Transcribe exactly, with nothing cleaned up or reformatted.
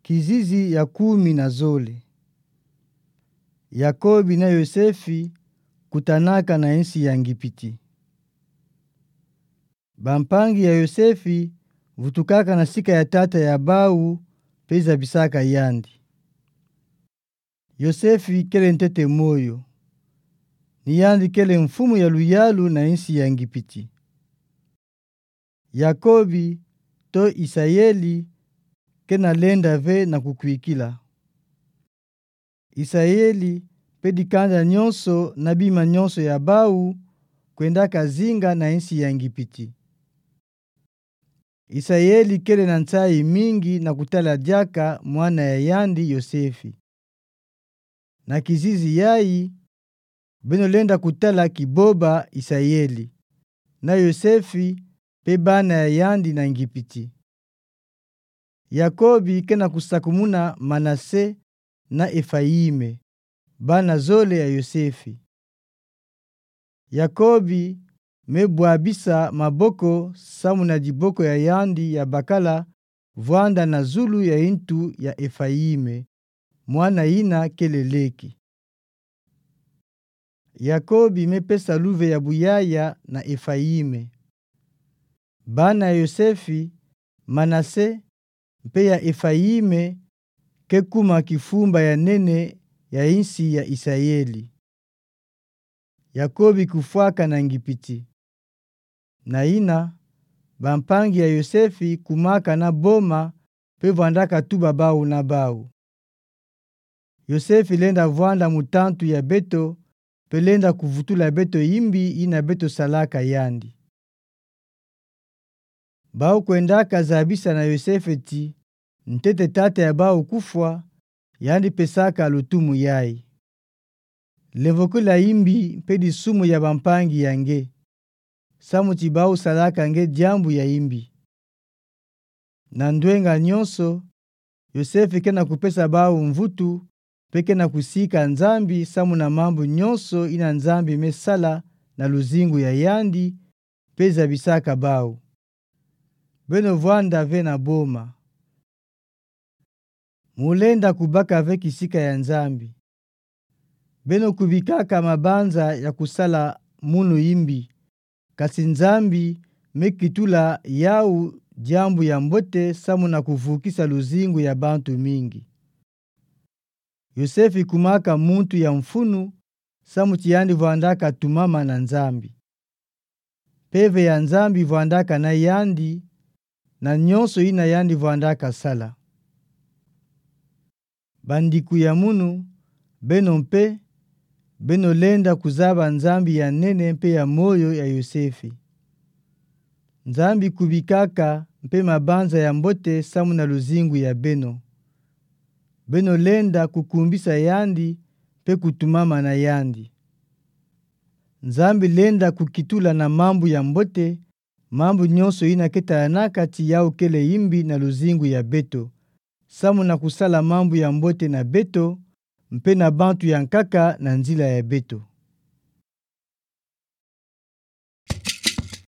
Kizizi ya kumi na zole. Yakobi na Yosefi kutanaka na insi ya Ngipiti. Bampangi ya Yosefi vutukaka na sika ya tata ya bau, pe zabisaka yandi. Yosefi kele ntete moyo. Ni yandi kele mfumu ya luyalu na insi ya Ngipiti. Yakobi, to Isayeli, kena lenda ve na kukwikila. Isayeli, pe dikanda nyonso na bima nyonso ya bau, kwendaka zinga na insi ya Ngipiti. Isayeli kele na nsayi mingi na kutala diaka mwana ya yandi Yosefi. Na kizizi yayi, beno lenda kutala kiboba Isayeli, na Yosefi, pe bana ya yandi na Ngipiti. Yakobi kena kusakumuna Manase na Efayime, bana zole ya Yosefi. Yakobi me bwabisa maboko samu na diboko ya yandi ya bakala vwanda na zulu ya intu ya Efayime, mwana yina kele leki. Yakobi me pesa luve ya buyaya na Efayime. Bana ya Yosefi, Manase, mpe ya Efayime, ke kuma kifumba ya nene ya insi ya Isayeli. Yakobi kufwaka na Ngipiti. Na yina, bampangi ya Yosefi kumaka na boma, pe vwandaka tuba bau na bau. Yosefi lenda vwanda mutantu ya beto, pe lenda kuvutula beto imbi yina beto salaka yandi. Bau kwendaka zabisa na Yosefi ti, ntete tata ya bau kufwa, yandi pesaka lutumu yayi. Levokila imbi mpe disumu ya bampangi ya nge, samu ti bau salaka nge diambu ya imbi. Na ndwenga nyonso, Yosefi kena kupesa bau mvutu, mpe kena kusika Nzambi samu na mambu nyonso yina Nzambi me sala na luzingu ya yandi, mpe zabisaka bau. Beno vwanda ve na boma. Mu lenda kubaka ve kisika ya Nzambi. Beno kubikaka mabanza ya kusala munu imbi, kasi Nzambi me kitula yau diambu ya mbote samu na kuvukisa luzingu ya bantu mingi. Yosefi kumaka muntu ya mfunu, samu ti yandi vwandaka tumama na Nzambi. Mpeve ya Nzambi vwandaka na yandi, na nyonso yina yandi vwandaka sala. Bandiku ya munu, beno mpe, beno lenda kuzaba Nzambi ya nene mpe ya moyo ya Yosefi. Nzambi kubikaka mpe mabanza ya mbote samu na luzingu ya beno. Beno lenda kukumbisa yandi mpe kutumama na yandi. Nzambi lenda kukitula na mambu ya mbote, mambu nyonso yina ke talanaka ti yau kele imbi na luzingu ya beto, samu na kusala mambu ya mbote na beto, mpe na bantu ya nkaka na nzila ya beto.